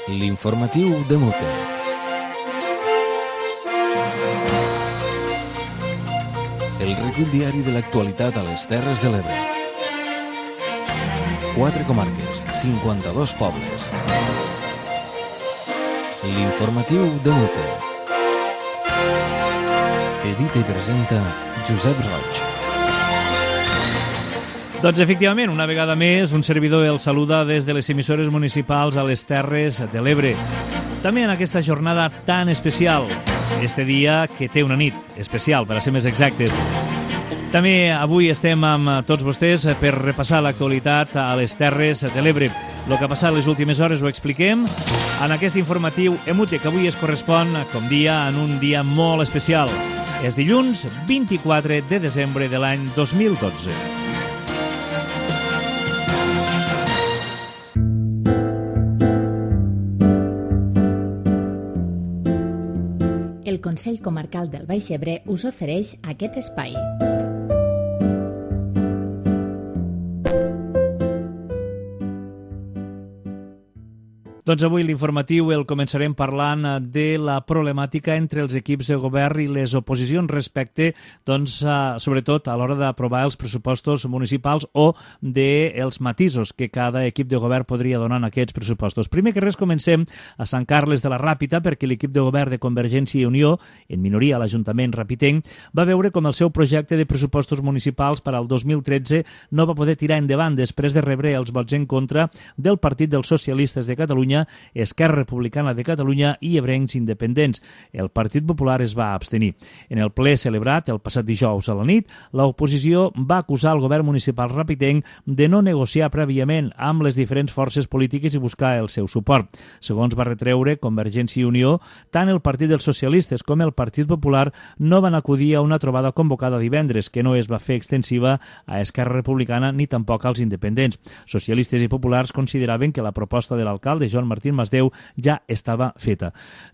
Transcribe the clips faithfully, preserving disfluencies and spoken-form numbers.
L'informatiu de Mute. El recull diari de l'actualitat a les Terres de l'Ebre. Quatre comarques, cinquanta-dos pobles. L'informatiu de Mute. Edita i presenta Josep Roig. Doncs efectivament, una vegada més, un servidor el saluda des de les emissores municipals a les Terres de l'Ebre. També en aquesta jornada tan especial, este dia que té una nit especial, per a ser més exactes. També avui estem amb tots vostès per repassar l'actualitat a les Terres de l'Ebre. El que ha passat les últimes hores ho expliquem en aquest informatiu Emute, que avui es correspon, com dia, en un dia molt especial. És dilluns vint-i-quatre de desembre de l'any dos mil dotze. El Consell Comarcal del Baix Ebre us ofereix aquest espai. Doncs avui l'informatiu el començarem parlant de la problemàtica entre els equips de govern i les oposicions respecte, doncs, a, sobretot a l'hora d'aprovar els pressupostos municipals o dels matisos que cada equip de govern podria donar en aquests pressupostos. Primer que res comencem a Sant Carles de la Ràpita, perquè l'equip de govern de Convergència i Unió, en minoria a l'Ajuntament rapitenc, va veure com el seu projecte de pressupostos municipals per al dos mil tretze no va poder tirar endavant després de rebre els vots en contra del Partit dels Socialistes de Catalunya, Esquerra Republicana de Catalunya i Ebrencs Independents. El Partit Popular es va abstenir. En el ple celebrat el passat dijous a la nit, l'oposició va acusar el govern municipal rapitenc de no negociar prèviament amb les diferents forces polítiques i buscar el seu suport. Segons va retreure Convergència i Unió, tant el Partit dels Socialistes com el Partit Popular no van acudir a una trobada convocada divendres, que no es va fer extensiva a Esquerra Republicana ni tampoc als independents. Socialistes i populars consideraven que la proposta de l'alcalde Joan Martín Masdeu ja estava feta.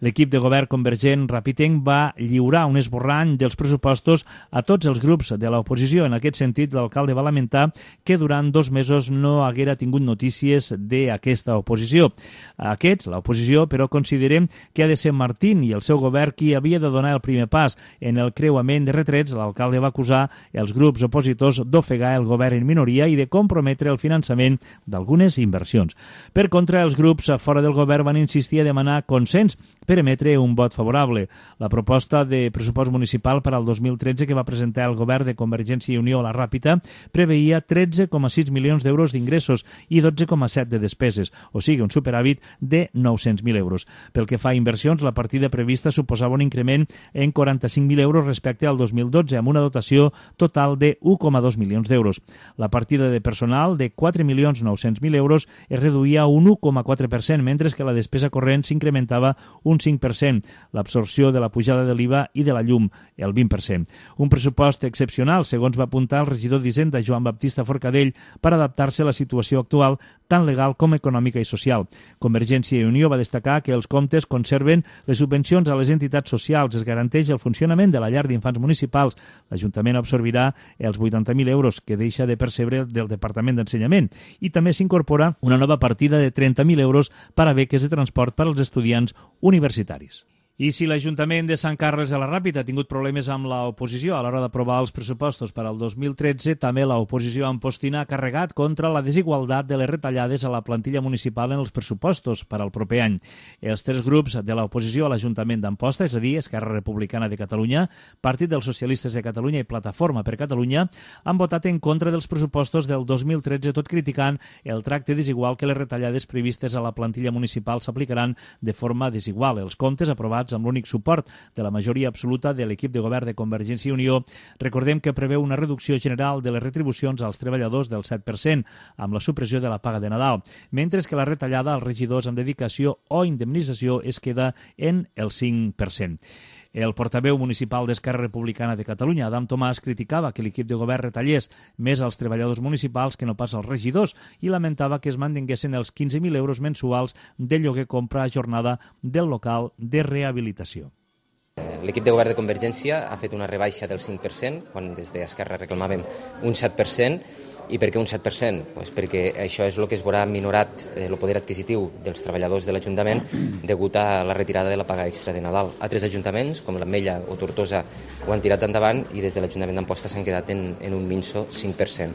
L'equip de govern convergent rapitenc va lliurar un esborrany dels pressupostos a tots els grups de l'oposició. En aquest sentit, l'alcalde va lamentar que durant dos mesos no haguera tingut notícies d'aquesta oposició. Aquests, l'oposició, però considerem que ha de ser Martín i el seu govern qui havia de donar el primer pas. En el creuament de retrets, l'alcalde va acusar els grups opositors d'ofegar el govern en minoria i de comprometre el finançament d'algunes inversions. Per contra, els grups fora del govern van insistir a demanar consens per emetre un vot favorable. La proposta de pressupost municipal per al dos mil tretze que va presentar el govern de Convergència i Unió a la Ràpita preveia tretze coma sis milions d'euros d'ingressos i dotze coma set de despeses, o sigui, un superàvit de nou-cents mil euros. Pel que fa a inversions, la partida prevista suposava un increment en quaranta-cinc mil euros respecte al dos mil dotze, amb una dotació total de un coma dos milions d'euros. La partida de personal de quatre milions nou-cents mil euros es reduïa a un un coma quatre per cent, mentre que la despesa corrent s'incrementava un cinc per cent, l'absorció de la pujada de l'I V A i de la llum, el vint per cent. Un pressupost excepcional, segons va apuntar el regidor d'Hisenda, Joan Baptista Forcadell, per adaptar-se a la situació actual, tant legal com econòmica i social. Convergència i Unió va destacar que els comptes conserven les subvencions a les entitats socials, es garanteix el funcionament de la llar d'infants municipals, l'Ajuntament absorbirà els vuitanta mil euros que deixa de percebre del Departament d'Ensenyament i també s'incorpora una nova partida de trenta mil euros per a beques de transport per als estudiants universitaris. I si l'Ajuntament de Sant Carles de la Ràpita ha tingut problemes amb l'oposició a l'hora d'aprovar els pressupostos per al dos mil tretze, també l'oposició ampostina ha carregat contra la desigualtat de les retallades a la plantilla municipal en els pressupostos per al proper any. Els tres grups de l'oposició a l'Ajuntament d'Amposta, és a dir, Esquerra Republicana de Catalunya, Partit dels Socialistes de Catalunya i Plataforma per Catalunya, han votat en contra dels pressupostos del dos mil tretze, tot criticant el tracte desigual que les retallades previstes a la plantilla municipal s'aplicaran de forma desigual. Els comptes aprovats amb l'únic suport de la majoria absoluta de l'equip de govern de Convergència i Unió, recordem que preveu una reducció general de les retribucions als treballadors del set per cent, amb la supressió de la paga de Nadal, mentre que la retallada als regidors amb dedicació o indemnització es queda en el cinc per cent. El portaveu municipal d'Esquerra Republicana de Catalunya, Adam Tomàs, criticava que l'equip de govern retallés més als treballadors municipals que no pas als regidors i lamentava que es mantinguessin els quinze mil euros mensuals de lloguer-compra a jornada del local de rehabilitació. L'equip de govern de Convergència ha fet una rebaixa del cinc per cent, quan des d'Esquerra reclamàvem un set per cent, I per què un set per cent? Pues perquè això és el que es veurà minorat eh, el poder adquisitiu dels treballadors de l'Ajuntament degut a la retirada de la paga extra de Nadal. Altres ajuntaments, com l'Ametlla o Tortosa, ho han tirat endavant i des de l'Ajuntament d'Amposta s'han quedat en, en un minso cinc per cent.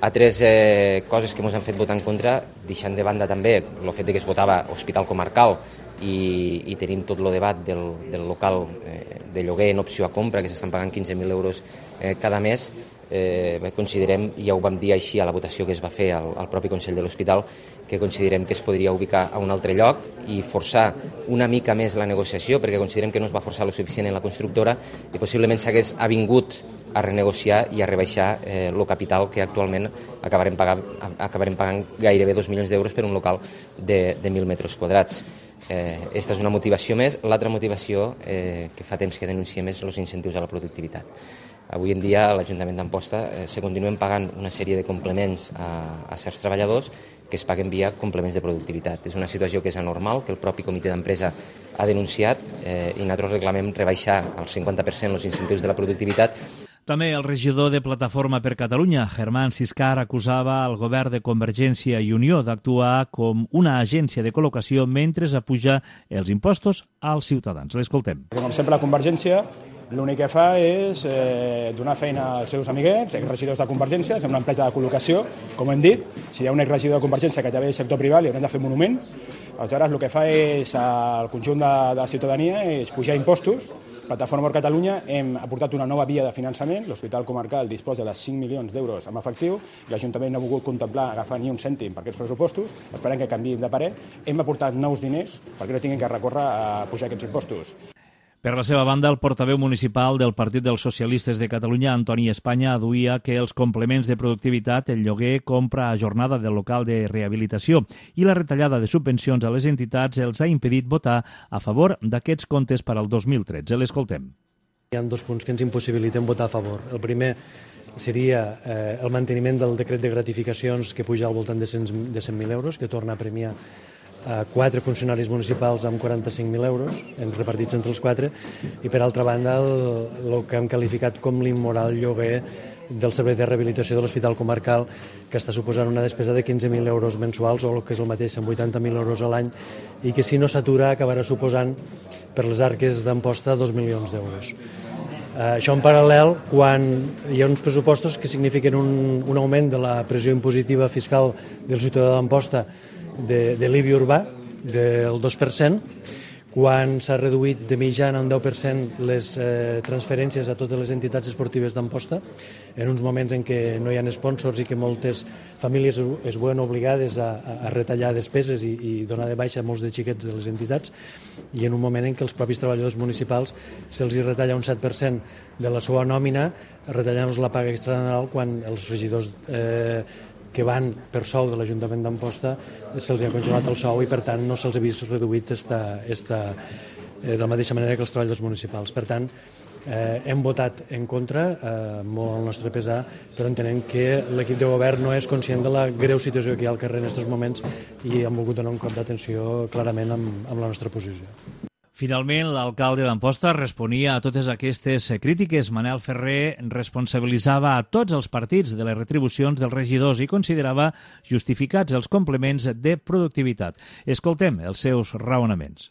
Altres eh, coses que ens han fet votar en contra, deixant de banda també el fet de que es votava hospital comarcal i, i tenim tot el debat del, del local eh, de lloguer en opció a compra, que s'estan pagant quinze mil euros eh, cada mes, eh, considerem, i ja ho vam dir així a la votació que es va fer al, al propi Consell de l'Hospital, que considerem que es podria ubicar a un altre lloc i forçar una mica més la negociació, perquè considerem que no es va forçar lo suficient en la constructora i possiblement s'hagués avingut a renegociar i a rebaixar eh, el capital que actualment acabarem pagant, acabarem pagant gairebé dos milions d'euros per un local de, de mil metres quadrats. Eh, esta és una motivació més. L'altra motivació eh, que fa temps que denunciem és els incentius a la productivitat. Avui en dia a l'Ajuntament d'Amposta eh, se continuen pagant una sèrie de complements a, a certs treballadors que es paguen via complements de productivitat. És una situació que és anormal, que el propi comitè d'empresa ha denunciat eh, i nosaltres reclamem rebaixar al cinquanta per cent els incentius de la productivitat. També el regidor de Plataforma per Catalunya, Germán Siscar, acusava al govern de Convergència i Unió d'actuar com una agència de col·locació mentre apuja els impostos als ciutadans. L'escoltem. Com sempre, la Convergència l'únic que fa és eh, donar feina als seus amiguets, exregidors de Convergència, és una empresa de col·locació, com hem dit. Si hi ha un exregidor de Convergència que també és sector privat, li haurem de fer un monument. Aleshores, el que fa és, al conjunt de, de la ciutadania, és pujar impostos. Plataforma per Catalunya hem aportat una nova via de finançament. L'Hospital Comarcal disposa de cinc milions d'euros en efectiu. L'Ajuntament no ha volgut contemplar agafar ni un cèntim per aquests pressupostos. Esperem que canviïn de parer. Hem aportat nous diners perquè no tinguin que recórrer a pujar aquests impostos. Per la seva banda, el portaveu municipal del Partit dels Socialistes de Catalunya, Antoni Espanya, aduïa que els complements de productivitat, el lloguer, compra a jornada del local de rehabilitació i la retallada de subvencions a les entitats els ha impedit votar a favor d'aquests comptes per al dos mil tretze. L'escoltem. Hi ha dos punts que ens impossibiliten votar a favor. El primer seria eh, el manteniment del decret de gratificacions que puja al voltant de cent mil euros, que torna a premiar a quatre funcionaris municipals amb quaranta-cinc mil euros repartits entre els quatre, i per altra banda el, el que hem qualificat com l'immoral lloguer del servei de rehabilitació de l'Hospital Comarcal, que està suposant una despesa de quinze mil euros mensuals, o el que és el mateix, cent vuitanta mil euros a l'any, i que si no s'atura acabarà suposant per les arques d'Amposta dos milions d'euros. Uh, això en paral·lel, quan hi ha uns pressupostos que signifiquen un, un augment de la pressió impositiva fiscal del ciutadà d'Amposta de, de l'I B I urbà del dos per cent, quan s'ha reduït de mitjana un deu per cent les eh, transferències a totes les entitats esportives d'Amposta, en uns moments en què no hi ha sponsors i que moltes famílies es veuen obligades a, a retallar despeses i, i donar de baixa molts de xiquets de les entitats, i en un moment en què els propis treballadors municipals se'ls retalla un set per cent de la seva nòmina, retallant-los la paga extra de Nadal, quan els regidors eh, que van per sou de l'Ajuntament d'Amposta se'ls ha congelat el sou i per tant no se'ls ha vist reduït esta, esta, eh, de la mateixa manera que els treballadors municipals. Per tant, eh, hem votat en contra, eh, molt al nostre pesar, però entenem que l'equip de govern no és conscient de la greu situació que hi ha al carrer en aquests moments i hem volgut donar un cop d'atenció clarament amb, amb la nostra posició. Finalment, l'alcalde d'Amposta responia a totes aquestes crítiques. Manel Ferrer responsabilitzava a tots els partits de les retribucions dels regidors i considerava justificats els complements de productivitat. Escoltem els seus raonaments.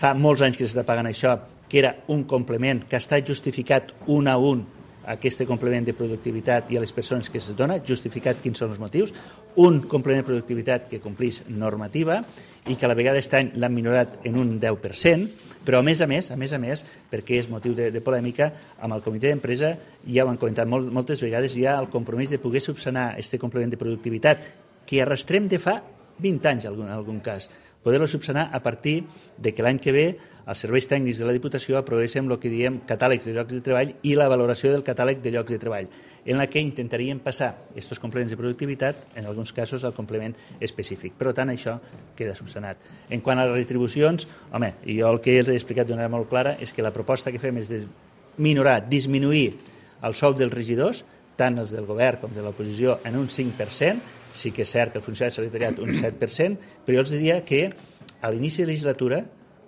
Fa molts anys que s'està pagant això, que era un complement que està justificat un a un, aquest complement de productivitat, i a les persones que es dona, justificat quins són els motius, un complement de productivitat que complís normativa i que a la vegada aquest any l'han minorat en un deu per cent, però a més a més, a més a més, perquè és motiu de, de polèmica, amb el comitè d'empresa ja ho han comentat molt, moltes vegades, hi ha el compromís de poder subsanar aquest complement de productivitat que arrastrem de fa vint anys en algun, en algun cas, poder-lo subsanar a partir de que l'any que ve els serveis tècnics de la Diputació aprovéssim el que diem catàlegs de llocs de treball i la valoració del catàleg de llocs de treball, en la que intentaríem passar aquests complements de productivitat, en alguns casos, al complement específic. Per tant, això queda subsanat. En quant a les retribucions, home, jo el que els he explicat d'una manera molt clara és que la proposta que fem és de minorar, disminuir el sou dels regidors, tant els del govern com de l'oposició, en un cinc per cent. Sí que és cert que el funcionari s'ha retallat un set per cent, però jo els diria que a l'inici de la legislatura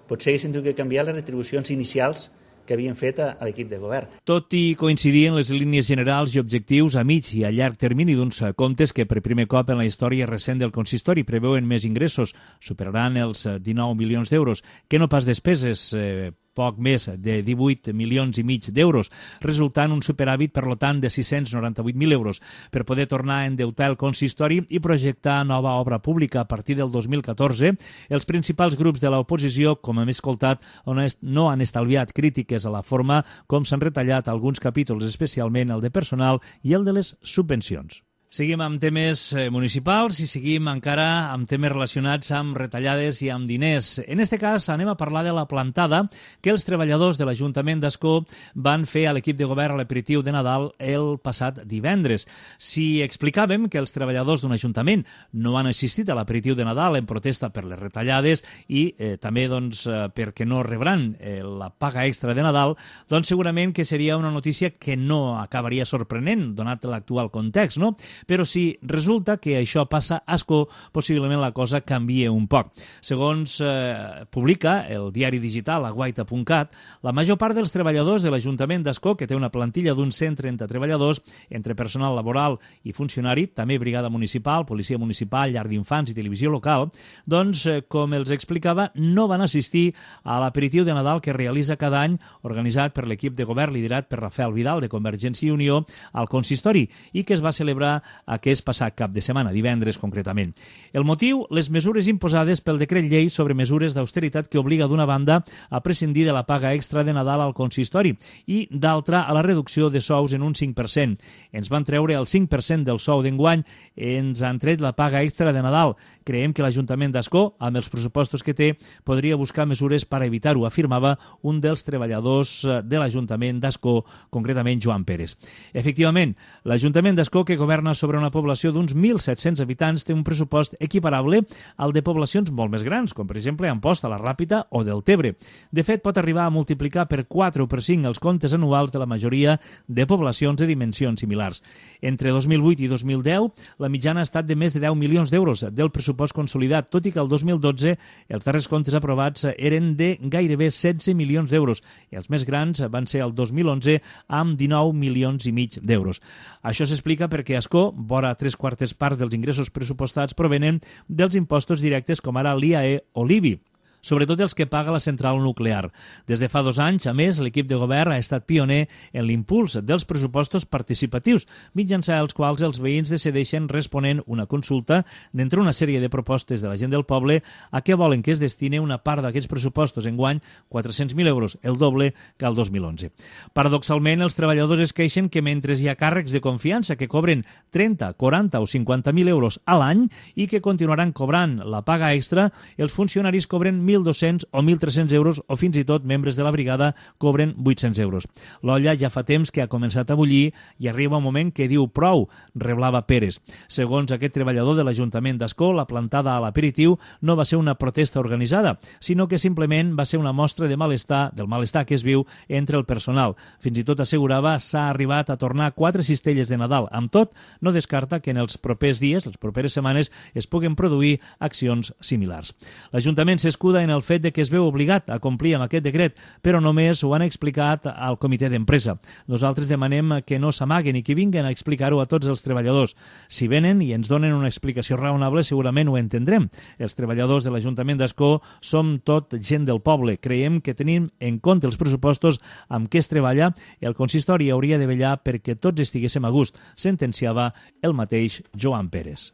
potser haguessin tingut que canviar les retribucions inicials que havien fet a, a l'equip de govern. Tot i coincidir en les línies generals i objectius a mig i a llarg termini d'uns comptes que per primer cop en la història recent del consistori preveuen més ingressos, superaran els dinou milions d'euros, que no pas despeses, eh, poc més de divuit milions i mig d'euros, resultant un superàvit, per tant, de sis-cents noranta-vuit mil euros, per poder tornar a endeutar el consistori i projectar nova obra pública a partir del dos mil catorze. Els principals grups de l'oposició, com hem escoltat, no han estalviat crítiques a la forma com s'han retallat alguns capítols, especialment el de personal i el de les subvencions. Seguim amb temes municipals i seguim encara amb temes relacionats amb retallades i amb diners. En aquest cas anem a parlar de la plantada que els treballadors de l'Ajuntament d'Ascó van fer a l'equip de govern a l'aperitiu de Nadal el passat divendres. Si explicàvem que els treballadors d'un ajuntament no han assistit a l'aperitiu de Nadal en protesta per les retallades i eh, també doncs, eh, perquè no rebran eh, la paga extra de Nadal, doncs segurament que seria una notícia que no acabaria sorprenent, donat l'actual context, no? Però si resulta que això passa a Ascó, possiblement la cosa canvia un poc. Segons eh, publica el diari digital aguaita punt cat, la major part dels treballadors de l'Ajuntament d'Ascó, que té una plantilla d'uns cent trenta treballadors, entre personal laboral i funcionari, també brigada municipal, policia municipal, llar d'infants i televisió local, doncs, eh, com els explicava, no van assistir a l'aperitiu de Nadal que realitza cada any, organitzat per l'equip de govern liderat per Rafael Vidal, de Convergència i Unió, al consistori, i que es va celebrar aquest passat cap de setmana, divendres concretament. El motiu, les mesures imposades pel decret llei sobre mesures d'austeritat que obliga d'una banda a prescindir de la paga extra de Nadal al consistori i d'altra a la reducció de sous en un cinc per cent. Ens van treure el cinc per cent del sou d'enguany, ens han tret la paga extra de Nadal. Creiem que l'Ajuntament d'Ascó, amb els pressupostos que té, podria buscar mesures per evitar-ho, afirmava un dels treballadors de l'Ajuntament d'Ascó, concretament Joan Pérez. Efectivament, l'Ajuntament d'Ascó, que governa sobre una població d'uns mil set-cents habitants, té un pressupost equiparable al de poblacions molt més grans, com per exemple Amposta, la Ràpita o Deltebre. De fet, pot arribar a multiplicar per quatre o per cinc els comptes anuals de la majoria de poblacions de dimensions similars. Entre dos mil vuit i dos mil deu, la mitjana ha estat de més de deu milions d'euros del pressupost consolidat, tot i que el dos mil dotze els darrers comptes aprovats eren de gairebé setze milions d'euros i els més grans van ser el dos mil onze amb dinou milions i mig d'euros. Això s'explica perquè Ascó, vora tres quartes parts dels ingressos pressupostats provenen dels impostos directes com ara l'I A E o l'I B I, sobretot els que paga la central nuclear. Des de fa dos anys, a més, l'equip de govern ha estat pioner en l'impuls dels pressupostos participatius, mitjançant els quals els veïns decideixen responent una consulta d'entre una sèrie de propostes de la gent del poble a què volen que es destine una part d'aquests pressupostos, enguany quatre-cents mil euros, el doble que el dos mil onze. Paradoxalment, els treballadors es queixen que mentre hi ha càrrecs de confiança que cobren trenta, quaranta o cinquanta mil euros a l'any i que continuaran cobrant la paga extra, els funcionaris cobren mil dos-cents o mil tres-cents euros o fins i tot membres de la brigada cobren vuit-cents euros. L'olla ja fa temps que ha començat a bullir i arriba un moment que diu prou, reblava Pérez. Segons aquest treballador de l'Ajuntament d'Ascó, la plantada a l'aperitiu no va ser una protesta organitzada, sinó que simplement va ser una mostra de malestar, del malestar que es viu entre el personal. Fins i tot assegurava s'ha arribat a tornar quatre cistelles de Nadal. Amb tot, no descarta que en els propers dies, les properes setmanes, es puguen produir accions similars. L'Ajuntament s'escuda en el fet de que es veu obligat a complir amb aquest decret, però només ho han explicat al comitè d'empresa. Nosaltres demanem que no s'amaguen i que vinguen a explicar-ho a tots els treballadors. Si venen i ens donen una explicació raonable, segurament ho entendrem. Els treballadors de l'Ajuntament d'Ascó som tot gent del poble. Creiem que tenim en compte els pressupostos amb què es treballa, el consistori hauria de vetllar perquè tots estiguéssim a gust, sentenciava el mateix Joan Pérez.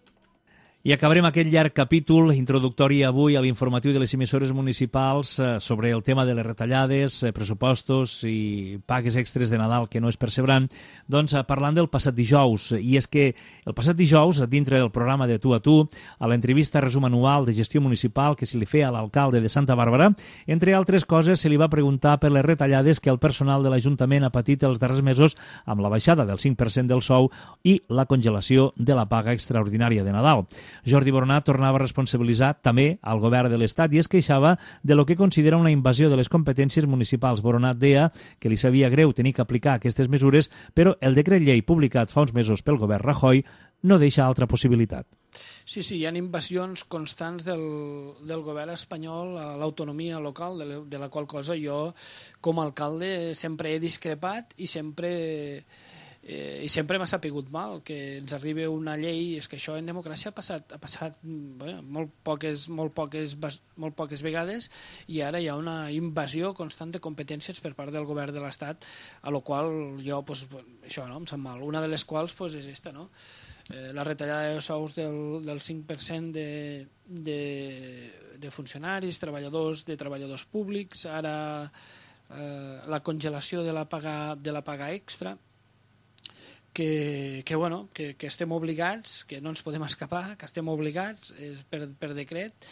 I acabarem aquest llarg capítol introductori avui a l'informatiu de les emissores municipals sobre el tema de les retallades, pressupostos i pagues extres de Nadal que no es percebran, doncs parlant del passat dijous. I és que el passat dijous, dintre del programa de Tu a Tu, a l'entrevista resum anual de gestió municipal que se li feia a l'alcalde de Santa Bàrbara, entre altres coses se li va preguntar per les retallades que el personal de l'Ajuntament ha patit els darrers mesos amb la baixada del cinc per cent del sou i la congelació de la paga extraordinària de Nadal. Jordi Boronat tornava a responsabilitzar també al govern de l'Estat i es queixava de lo que considera una invasió de les competències municipals. Boronat deia que li sabia greu tenir que aplicar aquestes mesures, però el decret llei publicat fa uns mesos pel govern Rajoy no deixa altra possibilitat. Sí, sí, hi ha invasions constants del, del govern espanyol a l'autonomia local, de la, de la qual cosa jo, com a alcalde, sempre he discrepat i sempre, eh, i sempre m'ha sapigut mal que ens arribi una llei. És que això en democràcia ha passat, ha passat bé, molt, poques, molt, poques, molt poques vegades, i ara hi ha una invasió constant de competències per part del govern de l'Estat, a la qual jo, pues, això no, em sap mal. Una de les quals pues, és esta, no? Eh, la retallada de sous del, del cinc per cent de, de, de funcionaris, treballadors, de treballadors públics, ara eh, la congelació de la paga, de la paga extra, que, que, bueno, que, que estem obligats, que no ens podem escapar, que estem obligats és per, per decret,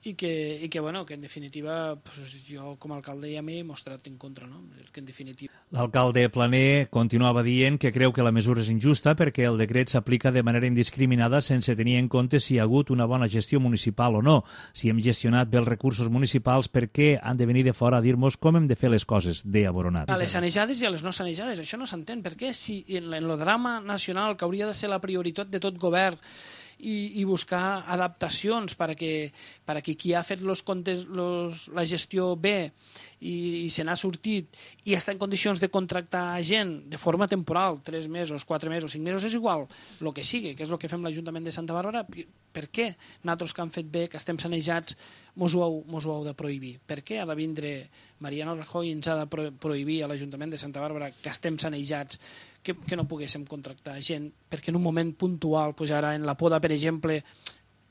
i que, i que, bueno, que en definitiva pues, jo com a alcalde ja m'he mostrat en contra, no? Que en definitiva... L'alcalde Plané continuava dient que creu que la mesura és injusta perquè el decret s'aplica de manera indiscriminada sense tenir en compte si hi ha hagut una bona gestió municipal o no. Si hem gestionat bé els recursos municipals, per què han de venir de fora a dir-nos com hem de fer les coses, deia Boronat. A les sanejades i a les no sanejades, això no s'entén. Per què si en el drama nacional, que hauria de ser la prioritat de tot govern, I, i buscar adaptacions perquè, perquè qui ha fet los comptes, los, la gestió bé i, i se n'ha sortit i està en condicions de contractar gent de forma temporal, tres mesos, quatre mesos, cinc mesos, és igual, el que sigui, que és el que fem l'Ajuntament de Santa Bàrbara. Per què nosaltres que han fet bé, que estem sanejats, mos ho, heu, mos ho heu de prohibir? Per què ha de vindre Mariano Rajoy i ens ha de pro, prohibir a l'Ajuntament de Santa Bàrbara que estem sanejats, que, que no poguéssim contractar gent, perquè en un moment puntual, pues ara en la poda, per exemple,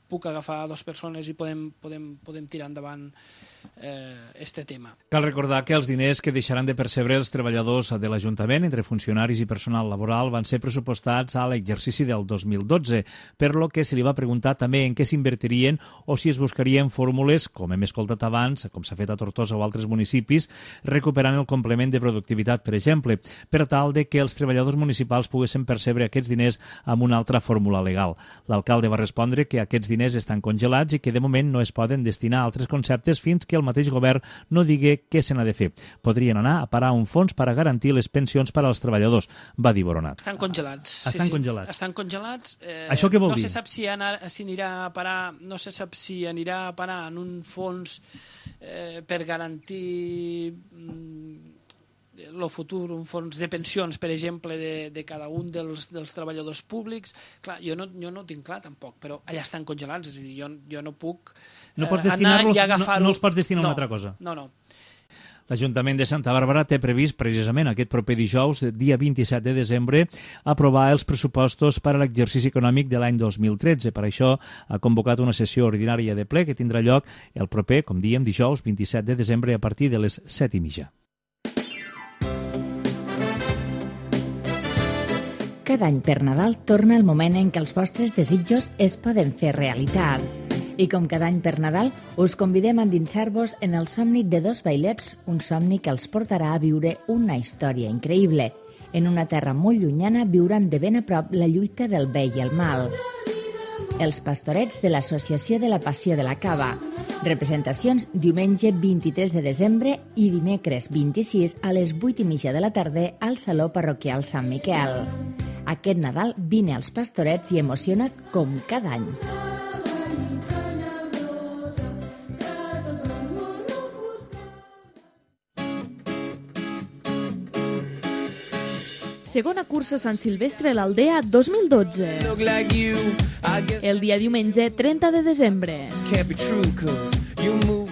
puc agafar dues persones i podem, podem, podem tirar endavant eh, este tema. Cal recordar que els diners que deixaran de percebre els treballadors de l'Ajuntament entre funcionaris i personal laboral van ser pressupostats a l'exercici del dos mil dotze, per lo que se li va preguntar també en què s'invertirien o si es buscarien fórmules, com hem escoltat abans, com s'ha fet a Tortosa o altres municipis, recuperant el complement de productivitat, per exemple, per tal de que els treballadors municipals poguessin percebre aquests diners amb una altra fórmula legal. L'alcalde va respondre que aquests diners estan congelats i que de moment no es poden destinar a altres conceptes fins que el mateix govern no digui què se n'ha de fer. Podrien anar a parar un fons per a garantir les pensions per als treballadors, va dir Boronat. Estan congelats. Estan sí, sí. congelats. Estan congelats. Eh, Això què vol no dir? No se sap si, anar, si anirà a parar, no se sap si anirà a parar en un fons eh, per garantir el mm, futur, un fons de pensions, per exemple, de, de cada un dels, dels treballadors públics. Clar, jo no, jo no ho tinc clar, tampoc, però allà estan congelats, és a dir, jo, jo no puc no pots eh, anar i agafar-ho. No, no els pots destinar a no, una altra cosa. No, no. L'Ajuntament de Santa Bàrbara té previst precisament aquest proper dijous, dia vint-i-set de desembre, aprovar els pressupostos per a l'exercici econòmic de l'any dos mil tretze. Per això ha convocat una sessió ordinària de ple que tindrà lloc el proper, com diem, dijous vint-i-set de desembre a partir de les set i mitja. Cada any per Nadal torna el moment en què els vostres desitjos es poden fer realitat. I com cada any per Nadal, us convidem a endinsar-vos en el somni de dos vailets, un somni que els portarà a viure una història increïble. En una terra molt llunyana viuran de ben a prop la lluita del bé i el mal. Els pastorets de l'Associació de la Passió de la Cava. Representacions diumenge vint-i-tres de desembre i dimecres vint-i-sis a les vuit i mitja de la tarda al Saló Parroquial Sant Miquel. Aquest Nadal vine als pastorets i emociona't com cada any. Segona cursa Sant Silvestre a l'Aldea dos mil dotze. El dia diumenge trenta de desembre.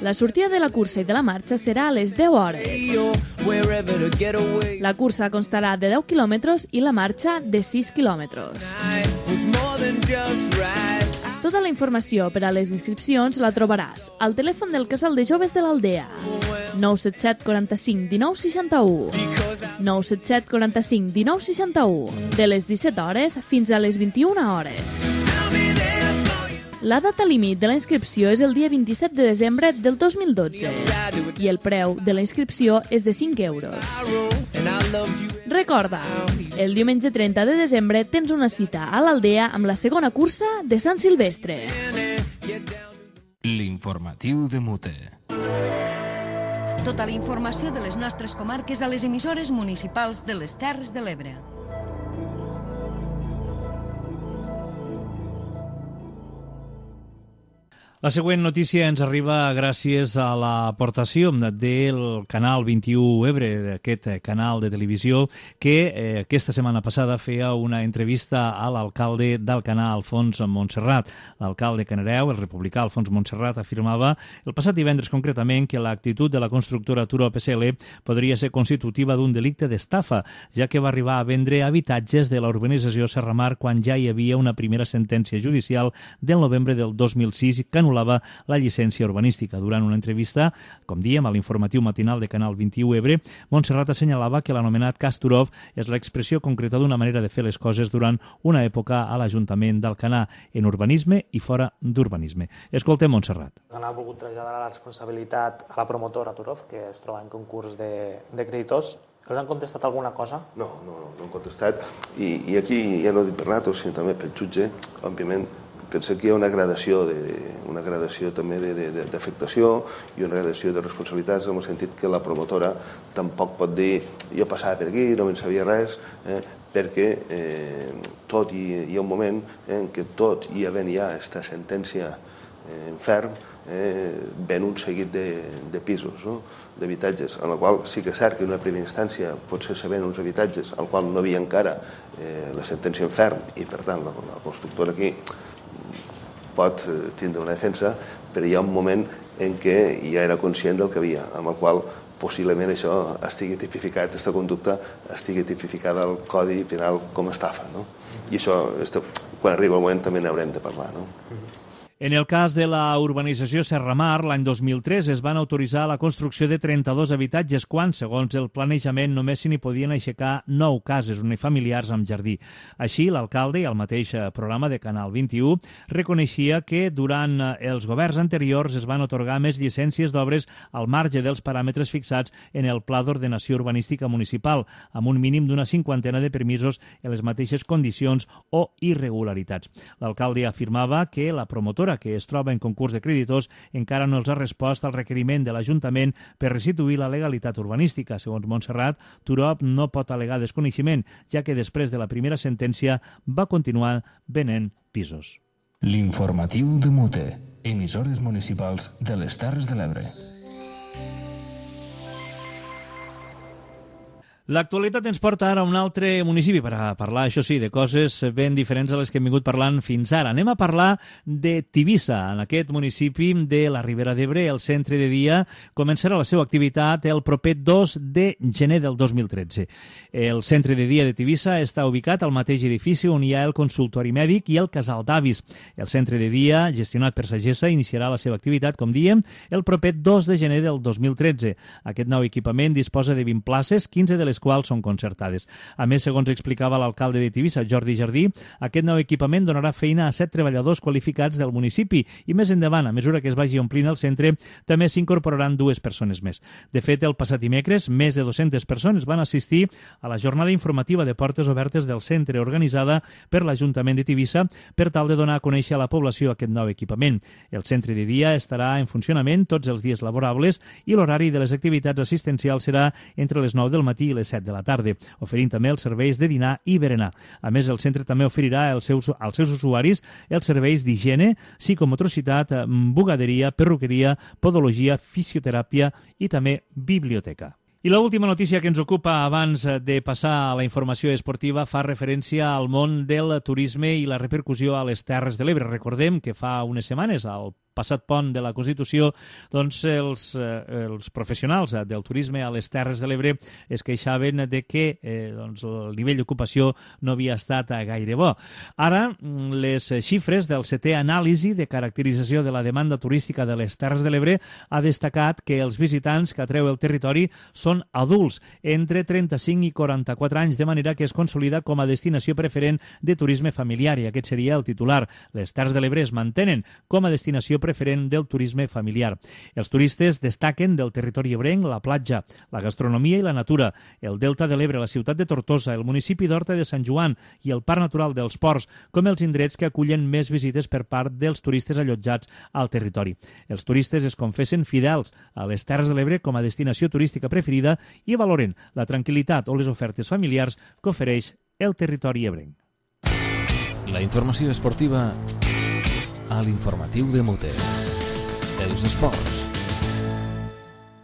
La sortida de la cursa i de la marxa serà a les deu hores. La cursa constarà de deu quilòmetres i la marxa de sis quilòmetres. Tota la informació per a les inscripcions la trobaràs al telèfon del Casal de Joves de l'Aldea. nou set set quaranta-cinc dinou seixanta-u. nou set set quaranta-cinc dinou seixanta-u. De les disset hores fins a les vint-i-una hores. La data límit de la inscripció és el dia vint-i-set de desembre del dos mil dotze i el preu de la inscripció és de cinc euros. Recorda, el diumenge trenta de desembre tens una cita a l'Aldea amb la segona cursa de Sant Silvestre. L'informatiu de Mute. Tota la informació de les nostres comarques a les emissores municipals de les Terres de l'Ebre. La següent notícia ens arriba gràcies a l'aportació del Canal vint-i-u Ebre, d'aquest canal de televisió, que eh, aquesta setmana passada feia una entrevista a l'alcalde d'Alcanar, Alfons Montserrat. L'alcalde canareu, el republicà Alfons Montserrat, afirmava el passat divendres concretament que l'actitud de la constructora Turop S L podria ser constitutiva d'un delicte d'estafa, ja que va arribar a vendre habitatges de la urbanització Serramar quan ja hi havia una primera sentència judicial del novembre del dos mil sis que anul·lava la llicència urbanística. Durant una entrevista, com diem, a l'informatiu matinal de Canal vint-i-u Ebre, Montserrat assenyalava que l'anomenat cas Turov és l'expressió concreta d'una manera de fer les coses durant una època a l'Ajuntament d'Alcanar, en urbanisme i fora d'urbanisme. Escoltem Montserrat. Ha volgut traslladar la responsabilitat a la promotora Turov, que es troba en concurs de, de creditors. Els han contestat alguna cosa? No, no, no, no han contestat. I, i aquí, ja no dic per nosaltres, sinó també pel jutge, òbviament, penso que hi ha una gradació, de, una gradació també d'afectació i una gradació de responsabilitats en el sentit que la promotora tampoc pot dir jo passava per aquí, no me'n sabia res, eh, perquè eh, tot i hi ha un moment eh, en què tot i havent ja aquesta sentència eh, en ferm, eh, ven un seguit de, de pisos, no? d'habitatges, en la qual sí que és cert que en una primera instància potser se ven uns habitatges al qual no havia encara eh, la sentència en ferm i per tant la, la constructora aquí pot tindre una defensa, però hi ha un moment en què ja era conscient del que havia, amb el qual possiblement això estigui tipificat, aquesta conducta estigui tipificada al Codi Penal com a estafa. No? I això, quan arriba el moment, també n'haurem de parlar. No? En el cas de la urbanització Serramar, l'any dos mil tres es van autoritzar la construcció de trenta-dos habitatges quan, segons el planejament, només s'hi podien aixecar nou cases unifamiliars amb jardí. Així, l'alcalde i el mateix programa de Canal vint-i-u reconeixia que durant els governs anteriors es van atorgar més llicències d'obres al marge dels paràmetres fixats en el Pla d'Ordenació Urbanística Municipal, amb un mínim d'una cinquantena de permisos en les mateixes condicions o irregularitats. L'alcalde afirmava que la promotora que es troba en concurs de creditors encara no els ha respost al requeriment de l'Ajuntament per restituir la legalitat urbanística. Segons Montserrat, Turop no pot al·legar desconeixement, ja que després de la primera sentència va continuar venent pisos. L'informatiu de Mute, emissores municipals de les Terres de l'Ebre. L'actualitat ens porta ara a un altre municipi per a parlar, això sí, de coses ben diferents a les que hem vingut parlant fins ara. Anem a parlar de Tivissa. En aquest municipi de la Ribera d'Ebre, el centre de dia començarà la seva activitat el proper dos de gener del dos mil tretze. El centre de dia de Tivissa està ubicat al mateix edifici on hi ha el consultori mèdic i el casal d'avis. El centre de dia, gestionat per Sagessa, iniciarà la seva activitat, com diem, el proper dos de gener del dos mil tretze. Aquest nou equipament disposa de vint places, quinze de les quals són concertades. A més, segons explicava l'alcalde de Tivissa, Jordi Jardí, aquest nou equipament donarà feina a set treballadors qualificats del municipi i més endavant, a mesura que es vagi omplint el centre, també s'incorporaran dues persones més. De fet, el passat dimecres, més de dues-centes persones van assistir a la jornada informativa de portes obertes del centre organitzada per l'Ajuntament de Tivissa per tal de donar a conèixer a la població aquest nou equipament. El centre de dia estarà en funcionament tots els dies laborables i l'horari de les activitats assistencials serà entre les nou del matí i les set de la tarda, oferint també els serveis de dinar i berenar. A més, el centre també oferirà als seus, als seus usuaris els serveis d'higiene, psicomotricitat, bugaderia, perruqueria, podologia, fisioteràpia i també biblioteca. I l'última notícia que ens ocupa abans de passar a la informació esportiva fa referència al món del turisme i la repercussió a les Terres de l'Ebre. Recordem que fa unes setmanes, al passat pont de la Constitució, doncs els, eh, els professionals del turisme a les Terres de l'Ebre es queixaven de que eh, doncs, el nivell d'ocupació no havia estat gaire bo. Ara, les xifres del setè anàlisi de caracterització de la demanda turística de les Terres de l'Ebre ha destacat que els visitants que atreu el territori són adults, entre trenta-cinc i quaranta-quatre anys, de manera que es consolida com a destinació preferent de turisme familiar, i aquest seria el titular. Les Terres de l'Ebre es mantenen com a destinació preferent del turisme familiar. Els turistes destaquen del territori ebrenc la platja, la gastronomia i la natura, el Delta de l'Ebre, la ciutat de Tortosa, el municipi d'Horta de Sant Joan i el Parc Natural dels Ports, com els indrets que acullen més visites per part dels turistes allotjats al territori. Els turistes es confessen fidels a les Terres de l'Ebre com a destinació turística preferida i valoren la tranquil·litat o les ofertes familiars que ofereix el territori ebrenc. La informació esportiva a l'informatiu de Mute. dels esports.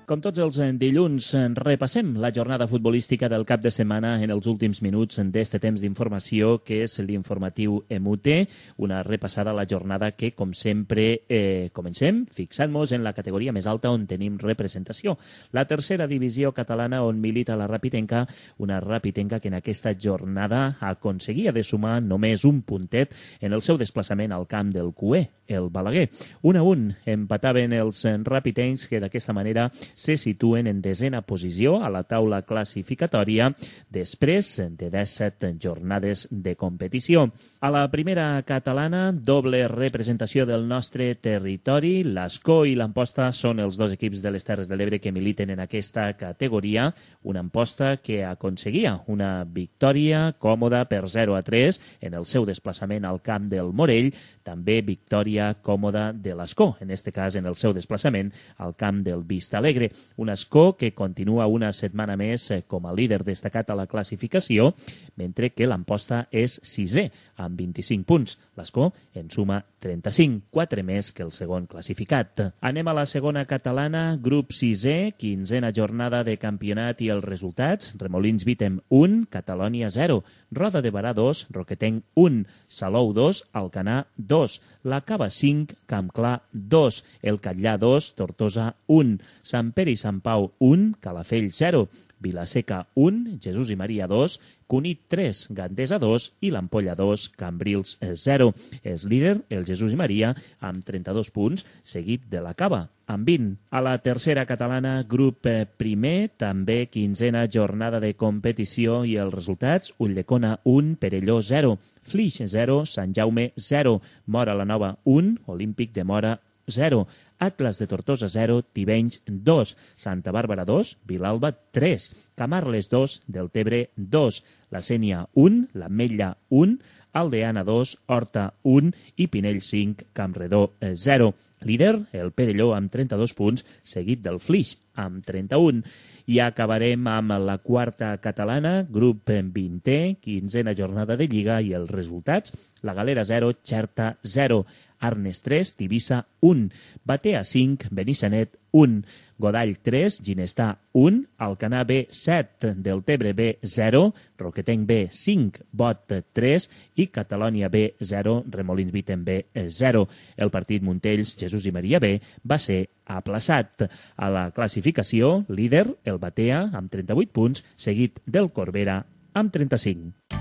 Com tots els dilluns, repassem la jornada futbolística del cap de setmana en els últims minuts d'este temps d'informació, que és l'informatiu Emute, una repassada a la jornada que, com sempre, eh, comencem fixant-nos en la categoria més alta on tenim representació. La tercera divisió catalana, on milita la Rapitenca, una Rapitenca que en aquesta jornada aconseguia de sumar només un puntet en el seu desplaçament al camp del Cué, el Balaguer. Un a un empataven els rapitencs, que d'aquesta manera se situen en desena posició a la taula classificatòria després de disset jornades de competició. A la primera catalana, doble representació del nostre territori. L'Ascó i l'Amposta són els dos equips de les Terres de l'Ebre que militen en aquesta categoria. Una Amposta que aconseguia una victòria còmoda per zero a tres en el seu desplaçament al camp del Morell. També victòria còmoda de l'Ascó, en aquest cas en el seu desplaçament al camp del Vista Alegre. Un Ascó que continua una setmana més com a líder destacat a la classificació, mentre que l'Amposta és sisè, amb vint-i-cinc punts. L'Ascó en suma trenta-cinc, quatre més que el segon classificat. Anem a la segona catalana, grup sisè, quinzena jornada de campionat i els resultats. Remolins Vitem un, Catalònia zero, Roda de Barà dos, Roquetenc un, Salou dos, Alcanar dos, La Cava cinc, Campclar dos, El Catllà dos, Tortosa un, Sant Pere i Sant Pau un, Calafell zero, Vilaseca un, Jesús i Maria dos, Cunit tres, Gandesa dos i l'Ampolla dos, Cambrils zero. És líder el Jesús i Maria amb trenta-dos punts, seguit de la Cava amb vint. A la tercera catalana, grup primer, també quinzena jornada de competició i els resultats: Ulldecona un, Perelló zero, Flix zero, Sant Jaume zero, Mora la Nova un, Olímpic de Mora zero, Atlas de Tortosa zero, Tivenys dos, Santa Bàrbara dos, Vilalba tres, Camarles dos, Deltebre dos, La Sénia un, l'Ametlla un, Aldeana dos, Horta un i Pinell cinc, Campredó zero. Líder, el Perelló amb trenta-dos punts, seguit del Flix amb trenta-un. I acabarem amb la quarta catalana, grup vintè, quinzena jornada de Lliga i els resultats: La Galera zero, Xerta zero, Arnes tres, Tivissa un, Batea cinc, Benissanet un, Godall tres, Ginestà un, Alcanar B set, Deltebre B zero, Roquetenc B cinc, Bot tres i Catalònia B zero, Remolins Vitem B zero. El partit Montells, Jesús i Maria B va ser aplaçat. A la classificació, líder, el Batea amb trenta-vuit punts, seguit del Corbera amb trenta-cinc.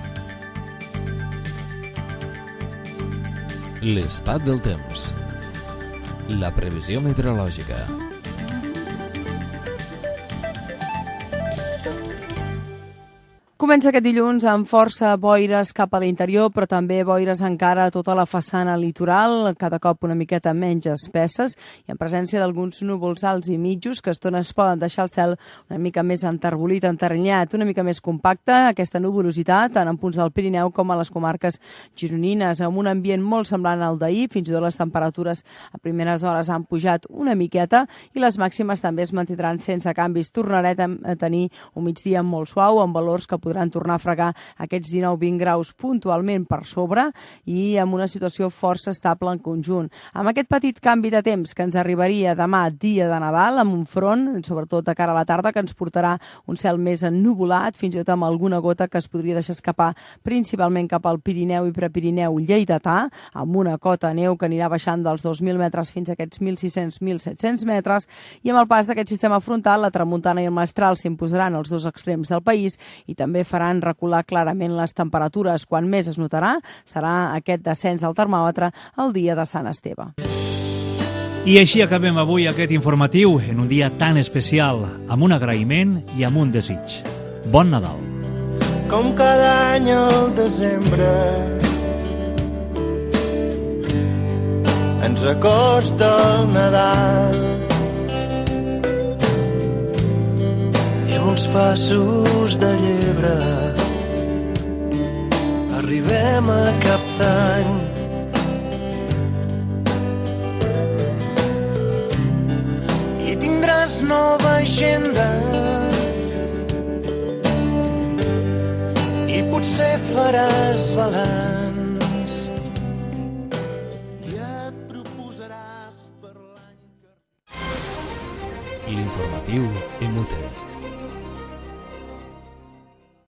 L'estat del temps. La previsió meteorològica. Comença aquest dilluns amb força boires cap a l'interior, però també boires encara a tota la façana litoral, cada cop una miqueta menys espesses, i en presència d'alguns núvols alts i mitjos que a estones poden deixar el cel una mica més enterbolit, enterrenyat, una mica més compacte. Aquesta nuvolositat, tant en punts del Pirineu com a les comarques gironines, amb un ambient molt semblant al d'ahir. Fins i tot les temperatures a primeres hores han pujat una miqueta i les màximes també es mantindran sense canvis. Tornarem a tenir un migdia molt suau, amb valors que podran tornar a fregar aquests dinou vint graus puntualment per sobre i amb una situació força estable en conjunt. Amb aquest petit canvi de temps que ens arribaria demà, dia de Nadal, amb un front, sobretot de cara a la tarda, que ens portarà un cel més ennuvolat, fins i tot amb alguna gota que es podria deixar escapar principalment cap al Pirineu i Prepirineu lleidatà, amb una cota de neu que anirà baixant dels dos mil metres fins a aquests mil sis-cents a mil set-cents metres, i amb el pas d'aquest sistema frontal, la tramuntana i el mestral s'imposaran als dos extrems del país i també faran recular clarament les temperatures. Quan més es notarà serà aquest descens al termòmetre el dia de Sant Esteve. I així acabem avui aquest informatiu en un dia tan especial, amb un agraïment i amb un desig. Bon Nadal! Com cada any al desembre ens acosta el Nadal i amb uns passos de llebre arribem a cap d'any. I tindràs nova agenda i potser faràs balanç